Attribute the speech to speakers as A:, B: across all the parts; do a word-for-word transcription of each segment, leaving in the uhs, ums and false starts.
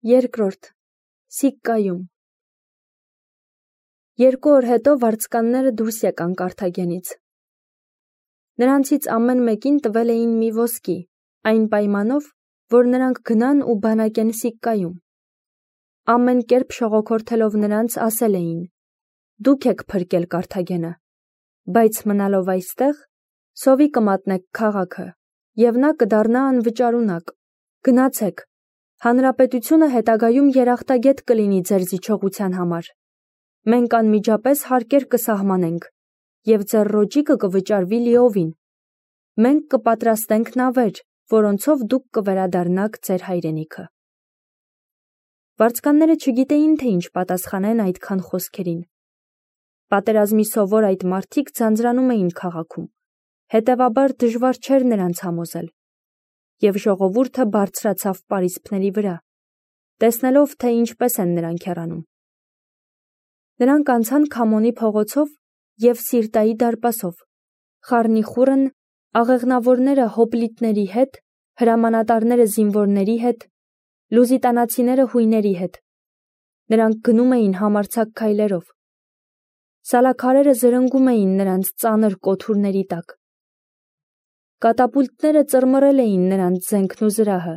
A: Երկրորդ. Սիկկայում։ Երկու օր հետո վարձկանները դուրս եկան Կարթագենից։ Նրանցից ամեն մեկին տվել էին մի ոսկի, այն պայմանով, որ նրանք գնան ու բանակեն Սիկկայում։ Ամեն կերպ շողոքորթելով նրանց ասել էին. «Դուք եք փրկել Կարթագենը, բայց մնալով այստեղ, սովի կմատնեք քաղաքը, և նա կդառնա անվճարունակ։ Գնացեք, հանրապետությունը հետագայում երախտագետ կլինի ձեր զիջողության համար։ Մենք անմիջապես հարկեր կսահմանենք, և ձեր ռոճիկը կվճարվի լիովին։ Մենք կպատրաստենք նավեր, որոնցով դուք կվերադառնաք ձեր հայրենիքը»։ Վարձկանները չգիտեին, թե ինչ պատասխանեն այդքան խոսքերին։ Պատերազմի սովոր այդ մարդիկ ձանձրանում էին քաղաքում, հետևաբար դժվար չէր նրանց համոզել։ Եվ ժողովուրդը բարձրացավ պարիսպների վրա, տեսնելով, թե ինչպես են նրանք հեռանում։ Նրանք անցան Քամոնի փողոցով և Սիրտայի դարպասով, խառնիխուռն, աղեղնավորները հոպլիտների հետ, հրամանատարները զինվորների հետ, լուզիտանացիները հույների հետ։ Նրանք գնում էին համարձակ քայլերով։ Սալաքարերը զրնգում էին նրանց ծանր կոթուրների տակ։ Կատապուլտները ծռմռել էին նրանց զենքն ու զրահը,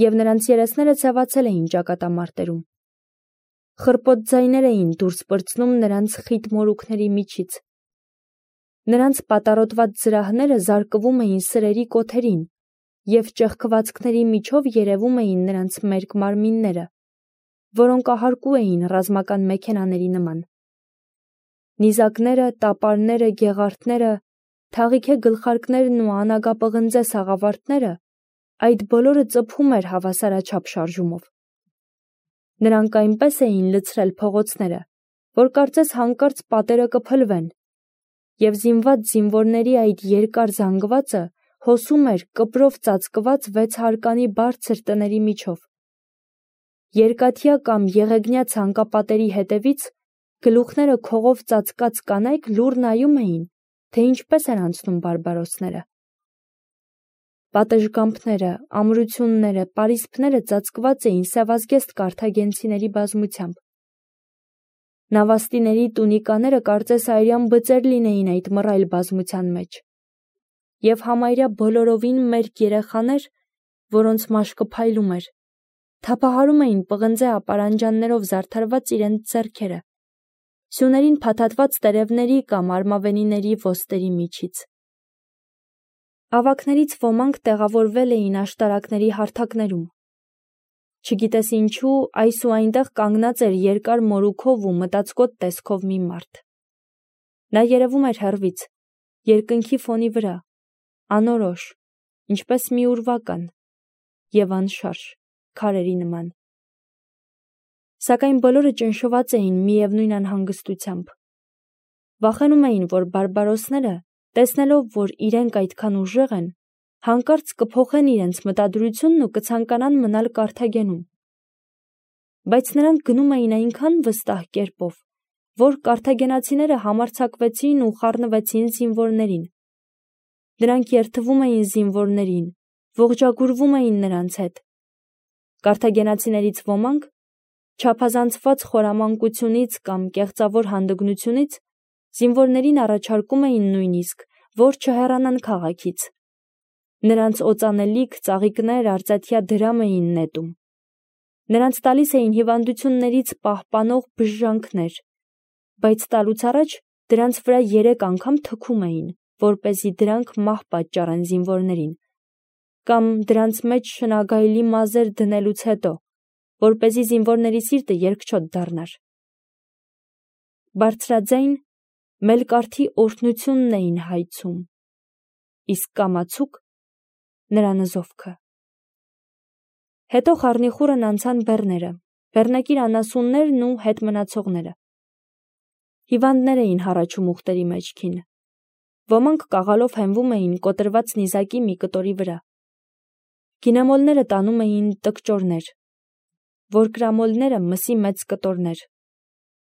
A: և նրանց երեսները ցեվացել էին ճակատամարտերում։ Խռպոտ ձայներ էին դուրս պրծնում նրանց խիտ մորուքների միջից։ Նրանց պատառոտված զրահները զարկվում էին սրերի կոթերին, և ճեղքվածքների միջով երևում էին նրանց մերկ մարմինները, որոնք ահարկու էին ռազմական մեքենաների նման։ Նիզակները, տապարները, գեղարդները, թաղիթե գլխարկներն ու անագապղնձե սաղավարտները, այդ բոլորը ծփում էր հավասարաչափ շարժումով։ Նրանք այնպես էին լցրել փողոցները, որ կարծես հանկարծ պատերը կփլվեն, և զինված զինվորների այդ երկար զանգվածը հոսում էր կպրով ծածկված վեց հարկանի բարձր տների միջով։ Երկաթյա կամ եղեգնյա ցանկապատերի հետևից գլուխները քողով ծածկած կանայք լուռ նայում էին, թե ինչպես են անցնում բարբարոսները։ Պատշգամբները, ամրությունները, պարիսպները ծածկված էին սևազգեստ կարթագենցիների բազմությամբ։ Նավաստիների տունիկաները կարծես արյան բծեր լինեին այդ մռայլ բազմության մեջ։ Եվ համարյա բոլորովին մերկ երեխաներ, որոնց մաշկը փայլում էր, թափահարում էին պղնձե ապարանջաններով զարդարված իրենց ձեռքերը, սյուներին փաթաթված տերևների կամ արմավենիների ոստերի միջից։ Ավագներից ոմանք տեղավորվել էին աշտարակների հարթակներում։ Չգիտես ինչու, այս ու այնտեղ կանգնած էր երկար մորուքով ու մտածկոտ տեսքով մի մարդ։ Նա երևում էր հեռվից, երկնքի ֆոնի վրա, անորոշ, ինչպես մի ուրվական, և անշարժ, քարերի նման։ Սակայն բոլորը ճնշված էին միևնույն անհանգստությամբ։ Վախենում էին, որ բարբարոսները, տեսնելով, որ իրենք այդքան ուժեղ են, հանկարծ կփոխեն իրենց մտադրությունն ու կցանկանան մնալ Կարթագենում։ Բայց նրանք գնում էին այնքան վստահ կերպով, որ կարթագենացիները համարձակվեցին ու խառնվեցին զինվորներին։ Նրանք երդվում էին զինվորներին, ողջագուրվում էին նրանց հետ։ Կարթագենացիներից ոմանք, չափազանցված խորամանկությունից կամ կեղծավոր հանդգնությունից, զինվորներին առաջարկում էին նույնիսկ, որ չհեռանան քաղաքից։ Նրանց օծանելիք, ծաղիկներ, արծաթյա դրամ էին նետում։ Նրանց տալիս էին հիվանդություններից պահպանող բժժանքներ, բայց տալուց առաջ դրանց վրա երեք անգամ թքում էին, որպեսզի դրանք մահ պատճառեն զինվորներին, կամ դրանց մեջ շնագայլի մազեր դնելուց հետո, որպեսզի զինվորների սիրտը երկչոտ դառնար։ Բարձրաձայն, մելկարթի օրհնությունն էին հայցում, իսկ կամացուկ նրա նզովքը։ Հետո խառնիխուռն անցան բեռները, բեռնակիր անասուններն ու հետ մնացողները։ Հիվանդներ էին հառաչում ուղտերի մեջքին։ Ոմանք կաղալով հենվում էին կոտրված նիզակի մի կտորի վրա։ Գինեմոլները տանում էին տկճորներ, որկրամոլները մսի մեծ կտորներ,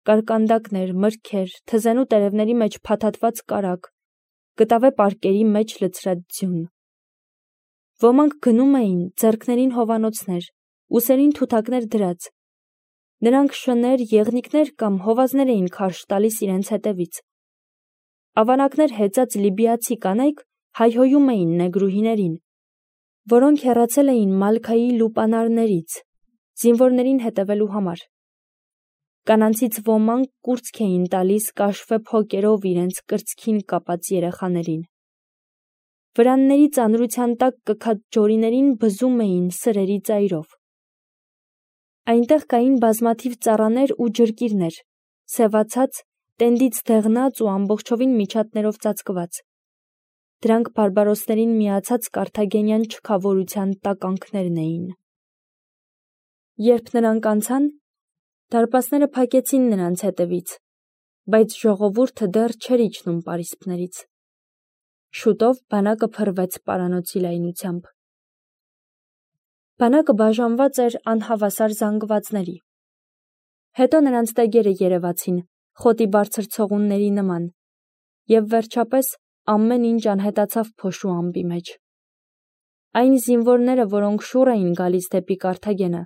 A: կարկանդակներ, մրգեր, թզենու տերևների մեջ փաթաթված կարագ, կտավե պարկերի մեջ լցրած ձյուն։ Ոմանք գնում էին, ձեռքներին հովանոցներ, ուսերին թութակներ դրած։ Նրանք շներ, եղնիկներ կամ հովազներ էին քարշ տալիս իրենց հետևից։ Ավանակներ հեծած լիբիացի կանայք հայհոյում էին նեգրուհիներին, որոնք հեռացել էին Մալքայի լուպանարներից, զինվորներին հետևելու համար։ Կանանցից ոմանք կուրծք էին տալիս կաշվե փոկերով իրենց կրծքին կապած երեխաներին։ Վրանների ծանրության տակ կքած ջորիներին բզում էին սրերի ծայրով։ Այնտեղ կային բազմաթիվ ծառաներ ու ջրկիրներ, սևացած, տենդից դեղնած ու ամբողջովին միջատներով ծածկված։ Դրանք բարբարոսներին միացած կարթագենյան չքավորության տականքներն էին։ Երբ նրանք անցան, դարպասները փակեցին նրանց հետևից, բայց ժողովուրդը դեռ չէր իջնում պարիսպներից։ Շուտով բանակը փռվեց պարանոցի լայնությամբ։ Բանակը բաժանված էր անհավասար զանգվածների։ Հետո նրանց տեգերը երևացին, խոտի բարձր ցողունների նման, և վերջապես ամեն ինչ անհետացավ փոշու ամպի մեջ։ Այն զինվորները, որոնք շուռ էին գալիս դեպի Կարթագենը,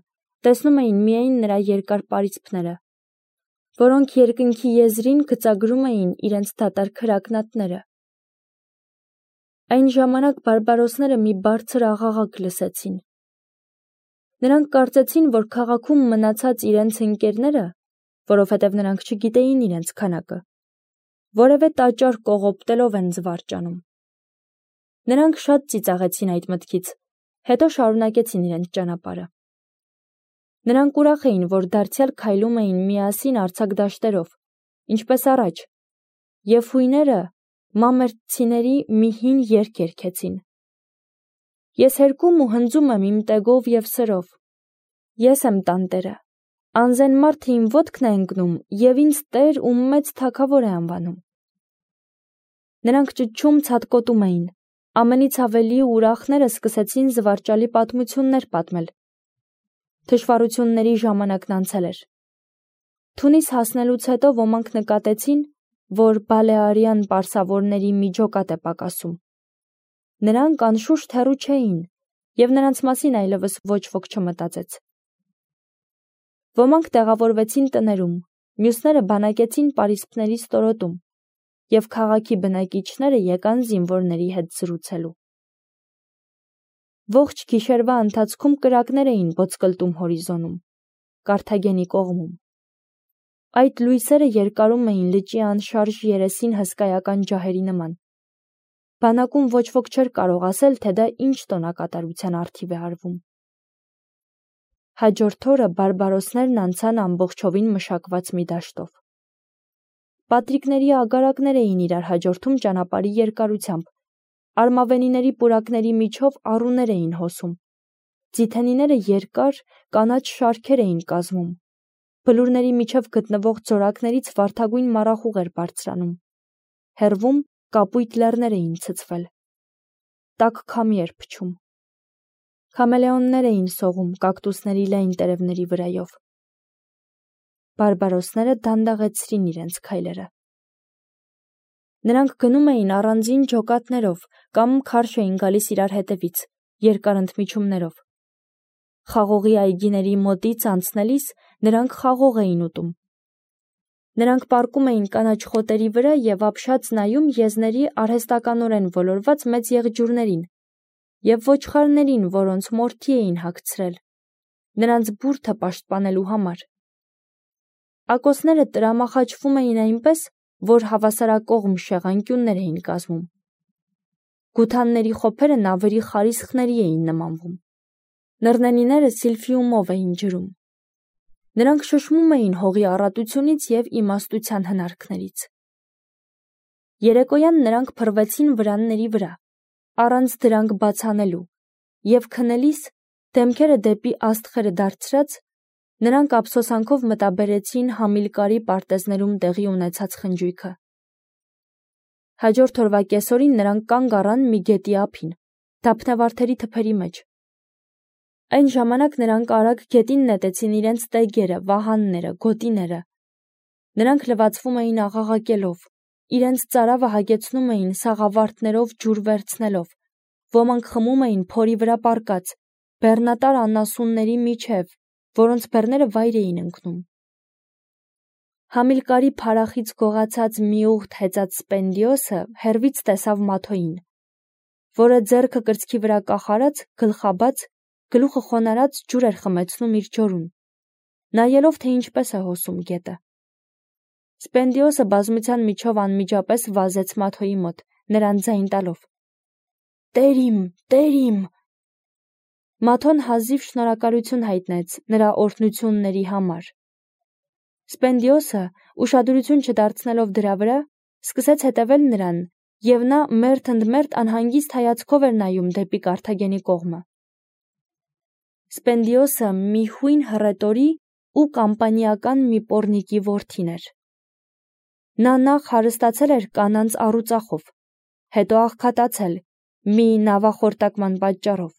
A: տեսնում էին միայն նրա երկար պարիսպները, որոնք երկնքի եզրին գծագրում էին իրենց դատարկ հրակնատները։ Այն ժամանակ բարբարոսները մի բարձր աղաղակ լսեցին։ Նրանք կարծեցին, որ քաղաքում մնացած իրենց ընկերները, որովհետև նրանք չգիտեին իրենց քանակը, որևէ տաճար կողոպտելով են զվարճանում։ Նրանք շատ ծիծաղեցին այդ մտքից, հետո շարունակեցին իրենց ճանապարհը։ Նրանք ուրախ էին, որ դարձյալ քայլում էին միասին արձակ դաշտերով, ինչպես առաջ, և հույները մամերտցիների մի հին երգ երգեցին։ Ես հերկում ու հնձում եմ իմ տեգով և սրով։ Ես եմ տանտերը, անզեն մարդը իմ ոտքն է ընկնում և ինձ տեր ու մեծ թագավոր է անվանում։ Նրանք ճչում ցատկոտում էին, ամենից ավելի ուրախները սկսեցին զվարճալի պատմություններ պատմել։ Թշվառությունների ժամանակն անցել էր։ Թունիս հասնելուց հետո ոմանք նկատեցին, որ բալեարյան պարսավորների մի ջոկատ է պակասում։ Նրանք անշուշտ հեռու չէին, և նրանց մասին այլևս ոչ ոք չմտածեց։ Ոմանք տեղավորվեցին տներում, մյուսները բանակեցին պարիսպների ստորոտում, և քաղաքի բնակիչները եկան զինվորների հետ զրուցելու։ Ողջ գիշերվա ընթացքում կրակներ էին ոսկլտում հորիզոնում, Կարթագենի կողմում։ Այդ լույսերը երկարում էին լճի անշարժ երեսին հսկայական ջահերի նման։ Բանակում ոչ ոք չէր կարող ասել, թե դա ինչ տոնակատարության առթիվ է արվում։ Հաջորդ օրը բարբարոսներն անցան ամբողջովին մշակված մի դաշտով։ Պատրիկների ագարակներ էին իրար հաջորդում ճանապարհի երկարությամբ, արմավենիների պուրակների միջով առուներ էին հոսում, ձիթենիները երկար, կանաչ շարքեր էին կազմում, բլուրների միջև գտնվող ձորակներից վարդագույն մառախուղ էր բարձրանում, հեռվում կապույտ լեռներ էին ցցվել, տաք քամի էր փչում։ Քամելեոններ էին սողում կակտուսների լայն տերևների վրայով։ Բարբարոսները դանդաղեցրին իրենց քայլերը։ Նրանք գնում էին առանձին ջոկատներով կամ քարշ էին գալիս իրար հետևից, երկար ընդմիջումներով։ Խաղողի այգիների մոտից անցնելիս նրանք խաղող էին ուտում։ Նրանք պառկում էին կանաչ խոտերի վրա և ապշած նայում եզների արհեստականորեն ոլորված մեծ եղջյուրներին և ոչխարներին, որոնց մորթի էին հագցրել, նրանց բուրդը պաշտպանելու համար։ Ակոսները տրամախաչվում էին այնպես, որ հավասարակողմ շեղանկյուններ էին կազմում։ Գութանների խոփերը նավերի խարիսխների էին նմանվում։ Նռնենիները սիլֆիումով էին ջրում։ Նրանք շշմում էին հողի առատությունից և իմաստության հնարքներից։ Երեկոյան նրանք փռվեցին վրանների վրա, առանց դրանք բաց անելու, և քնելիս, դեմքերը դեպի աստղերը դարձրած, նրանք ափսոսանքով մտաբերեցին Համիլկարի պարտեզներում տեղի ունեցած խնջույքը։ Հաջորդ օրվա կեսօրին նրանք կանգ առան մի գետի ափին, դափնեվարդերի թփերի մեջ։ Այն ժամանակ նրանք արագ գետին նետեցին իրենց տեգերը, վահանները, գոտիները։ Նրանք լվացվում էին աղաղակելով, իրենց ծարավը հագեցնում էին սաղավարտներով ջուր վերցնելով, ոմանք խմում էին փորի վրա պառկած, բեռնատար անասունների միջև, որոնց բեռները վայր էին ընկնում։ Համիլկարի փարախից գողացած մի ուղտ հեծած Սպենդիոսը հեռվից տեսավ Մաթոյին, որը ձեռքը կրծքի վրա կախարած, գլխաբաց, գլուխը խոնարած ջուր էր խմեցնում իր ջորուն, նայելով, թե ինչպես է հոսում գետը։ Սպենդիոսը բազմության միջով անմիջապես վազեց Մաթոյի մոտ, նրան ձայն տալով. «Տեր իմ, տեր իմ»։ Մաթոն հազիվ շնորհակալություն հայտնեց նրա օրհնությունների համար։ Սպենդիոսը, ուշադրություն չդարձնելով դրա վրա, սկսեց հետևել նրան, և նա մերթ ընդ մերթ անհանգիստ հայացքով էր նայում դեպի Կարթագենի կողմը։ Սպենդիոսը մի հույն հռետորի ու կամպանիական մի պոռնիկի որդին էր։ Նա նախ հարստացել էր կանանց առուծախով, հետո աղքատացել մի նավախորտակման պատճառով։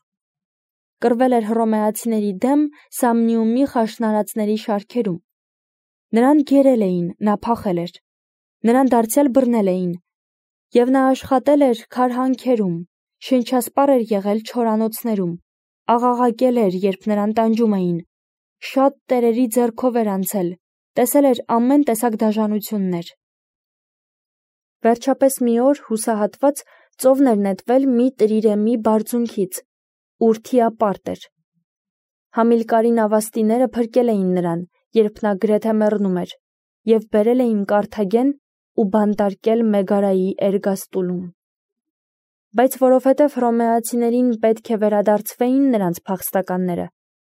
A: Կռվել էր հռոմեացիների դեմ Սամնիումի խաշնարածների շարքերում։ Նրան գերել էին, նա փախել էր, նրան դարձյալ բռնել էին, և նա աշխատել էր քարհանքերում, շնչասպառ էր եղել չորանոցներում, աղաղակել էր, երբ նրան տանջում էին, շատ տերերի ձեռքով էր անցել, տեսել էր ամեն տեսակ դաժանություններ։ Վերջապես մի օր հուսահատված ծովն էր նետվել մի տրիրեմի բարձունքից, ուր թիապարտ էր։ Համիլկարի նավաստիները փրկել էին նրան, երբ նա գրեթե մեռնում էր, և բերել էին Կարթագեն ու բանտարկել Մեգարայի Էրգաստուլում։ Բայց որովհետև հռոմեացիներին պետք է վերադարձվեին նրանց փախստականները,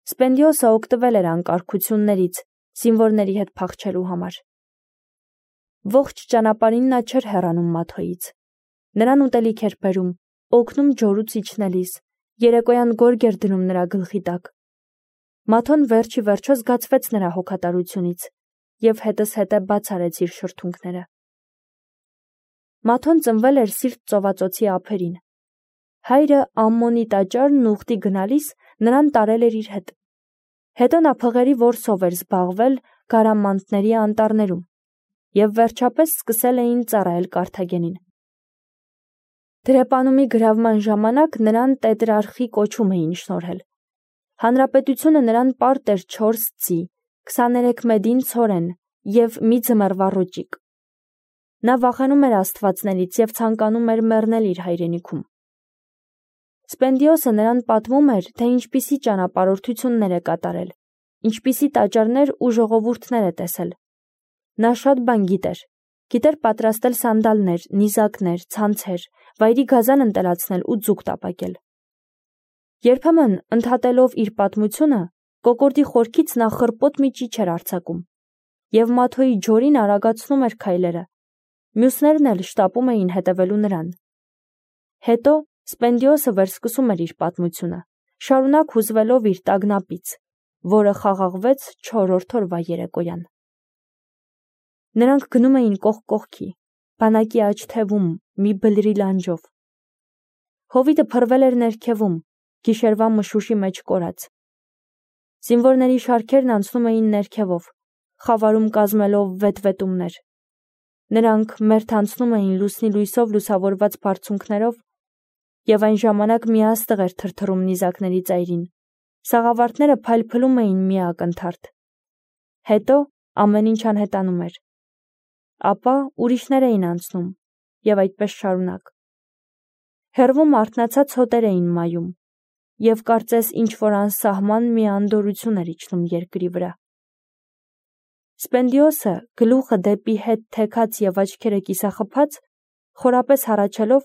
A: Սպենդիոսը օգտվել էր անկարգություններից, զինվորների հետ փախչելու համար։ Ողջ ճանապարհին նա չէր հեռանում Մաթոյից։ Նրան ուտելիք էր բերում, օգնում ջորուց իջնելիս, երեկոյան գորգ էր դնում նրա գլխի տակ։ Մաթոն վերջի վերջո զգացվեց նրա հոգատարությունից և հետզհետե բաց արեց իր շրթունքները։ Մաթոն ծնվել էր Սիրտ ծովածոցի ափերին։ Հայրը Ամմոնի տաճարն ուխտի գնալիս նրան տարել էր իր հետ։ Հետո նա փղերի որսով էր զբաղվել Գարամանտների անտառներում և վերջապես սկսել էին ծառայել Կարթագենին։ Դրեպանումի գրավման ժամանակ նրան տետրարխի կոչում էին շնորհել։ Հանրապետությունը նրան պարտ էր չորս ձի, քսաներեք մեդին ցորեն և մի ձմեռվա ռոճիկ։ Նա վախենում էր աստվածներից և ցանկանում էր մեռնել իր հայրենիքում։ Սպենդիոսը նրան պատմում էր, թե ինչպիսի ճանապարհորդություններ է կատարել, ինչպիսի տաճարներ ու ժողովուրդներ է տեսել։ Նա շատ բան գիտեր, գիտեր պատրաստել սանդալներ, նիզակներ, ցանցեր, վայրի գազան ընտելացնել ու ձուկ տապակել։ Երբեմն, ընդհատելով իր պատմությունը, կոկորդի խորքից նա խռպոտ մի ճիչ էր արձակում, և Մաթոյի ջորին արագացնում էր քայլերը, մյուսներն էլ շտապում էին հետևելու նրան։ Հետո Սպենդիոսը վերսկսում էր իր պատմությունը, շարունակ հուզվելով իր տագնապից, որը խաղաղվեց չորրորդ օրվա երեկոյան։ Նրանք գնում էին կողք կողքի, բանակի աջ թևում, մի բլրի լանջով։ Հովիտը փռվել էր ներքևում, գիշերվա մշուշի մեջ կորած։ Զինվորների շարքերն անցնում էին ներքևով, խավարում կազմելով վետվետումներ։ Նրանք մերթ անցնում էին լուսնի լույսով լուսավորված բարձունքներով, և այն ժամանակ մի աստղ էր թրթռում նիզակների ծայրին, սաղավարտները փայլփլում էին մի ակնթարթ։ Հետո ամեն ինչ անհետանում էր։ Ապա ուրիշներ էին անցնում, և այդպես շարունակ։ Հեռվում արթնացած հոտեր էին մայում, և կարծես ինչ-որ անսահման մի անդորրություն էր իջնում երկրի վրա։ Սպենդիոսը, գլուխը դեպի հետ թեքած և աչքերը կիսախփած, խորապես հառաչելով,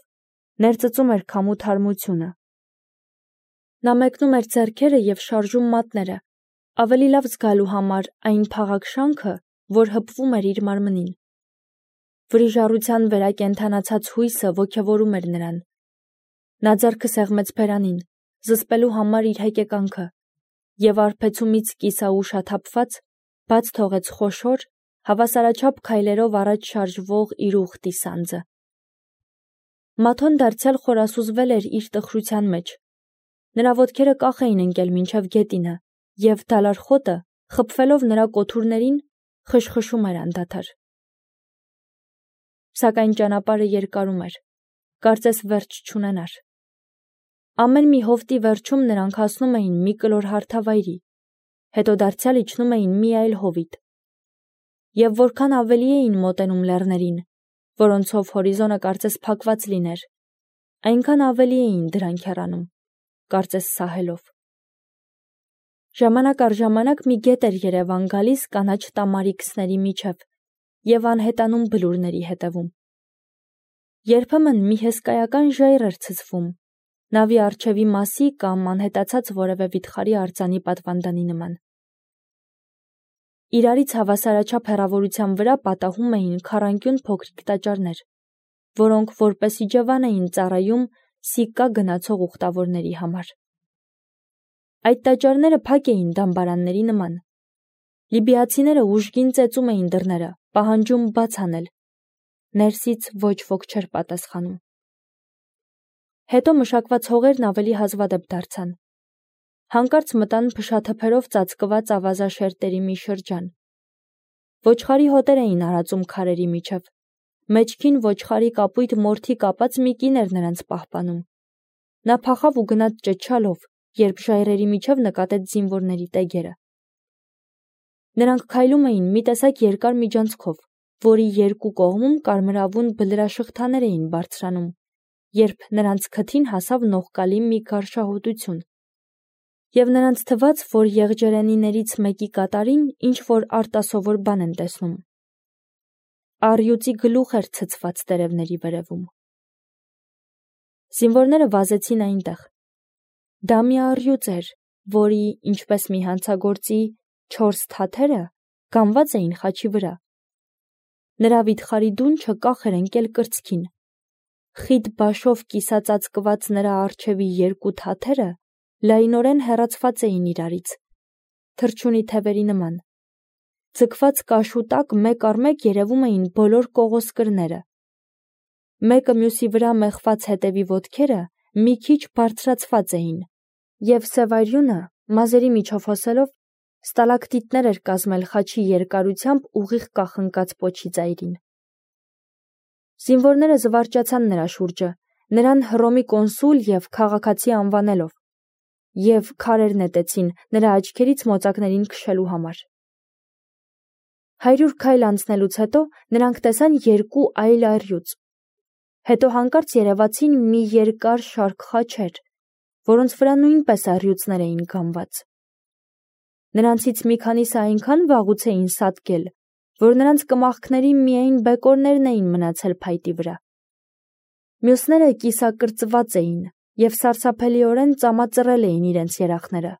A: ներծծում էր քամու թարմությունը։ Նա մեկնում էր ձեռքերը և շարժում մատները, ավելի լավ զգալու համար այն փաղակ շանքը, որ հպվում էր իր մարմնին։ Վրիժառության վերակենդանացած հույսը ոգևորում էր նրան։ Նա ձեռքը սեղմեց բերանին, զսպելու համար իր հեկեկանքը, և արբեցումից կիսաուշաթափված, բաց թողեց խոշոր, հավասարաչափ քայլերով առաջ շարժվող իր ուխտի սանձը։ Մաթոն դարձյալ խորասուզվել էր իր տխրության մեջ։ Նրա ոտքերը կախ էին ընկել մինչև գետինը, և դալար խոտը, խփվելով նրա կոթուրներին, խշխշում էր անդադար։ Սակայն ճանապարհը երկարում էր, կարծես վերջ չունենար։ Ամեն մի հովտի վերջում նրանք հասնում էին մի կլոր հարթավայրի, հետո դարձյալ իջնում էին մի այլ հովիտ։ Եվ որքան ավելի էին մոտենում լեռներին, որոնցով հորիզոնը կարծես փակված լիներ, այնքան ավելի էին դրանք հեռանում, կարծես սահելով։ Ժամանակ առ ժամանակ մի գետ էր Երևան գալիս կանաչ տամարիքսների միջև և անհետանում բլուրների հետևում։ Երբեմն մի հսկայական ժայռ էր ցցվում, նավի առջևի մասի կամ անհետացած որևէ վիթխարի արձանի պատվանդանի նման։ Իրարից հավասարաչափ հեռավորության վրա պատահում էին քառանկյուն փոքրիկ տաճարներ, որոնք որպես իջևան էին ծառայում Սիկկա գնացող ուխտավորների համար։ Այդ տաճարները փակ էին դամբարանների նման։ Լիբիացիները ուժգին ծեծում էին դռները, պահանջում բաց անել։ Ներսից ոչ ոք չէր պատասխանում։ Հետո մշակված հողերն ավելի հազվադեպ դարձան։ Հանկարծ մտան փշաթփերով ծածկված ավազաշերտերի մի շրջան։ Ոչխարի հոտեր էին արածում քարերի միջև։ Մեջքին ոչխարի կապույտ մորթի կապած մի կին էր նրանց պահպանում։ Նա փախավ ու գնաց ճչալով, երբ ժայռերի միջև նկատեց զինվորների տեգերը։ Նրանք քայլում էին մի տեսակ երկար միջանցքով, որի երկու կողմում կարմրավուն բլրաշղթաներ էին բարձրանում, երբ նրանց քթին հասավ նողկալի մի գարշահոտություն, և նրանց թվաց, որ եղջերենիներից մեկի կատարին ինչ-որ արտասովոր բան են տեսնում։ Առյուծի գլուխ էր ցցված տերևների վերևում։ Զինվորները վազեցին այնտեղ։ Դա մի առյուծ էր, որի, ինչպես մի հանցագործի, չորս թաթերը գամված էին խաչի վրա։ Նրա վիթխարի դունչը կախ էր ընկել կրծքին։ Խիտ բաշով կիսածածկված նրա առջևի երկու թաթերը լայնորեն հեռացված էին իրարից, թռչունի թևերի նման։ Ձգված կաշու տակ մեկ առ մեկ երևում էին բոլոր կողոսկրները։ Մեկը մյուսի վրա մեխված հետևի ոտքերը մի քիչ բարձրացված էին, և սևայրյունը, մազերի միջով հոսելով, ստալակտիտներ էր կազմել խաչի երկարությամբ ուղիղ կախնկած պոչի ծայրին։ Զինվորները զվարճացան նրա շուրջը, նրան Հռոմի կոնսուլ և քաղաքացի անվանելով, և քարեր նետեցին նրա աչքերից մոծակներին քշելու համար։ Հարյուր քայլ անցնելուց հետո նրանք տեսան երկու այլ առյուծ։ Հետո հանկարծ երևացին մի երկար շարք խաչեր, որոնց վրա նույնպես առյուծներ էին գամված։ Նրանցից մի քանիսը այնքան վաղուց էին սատկել, որ նրանց կմախքների միայն բեկորներն էին մնացել փայտի վրա։ Մյուսները կիսակրծված էին և սարսափելիորեն ծամածռել էին իրենց երախները։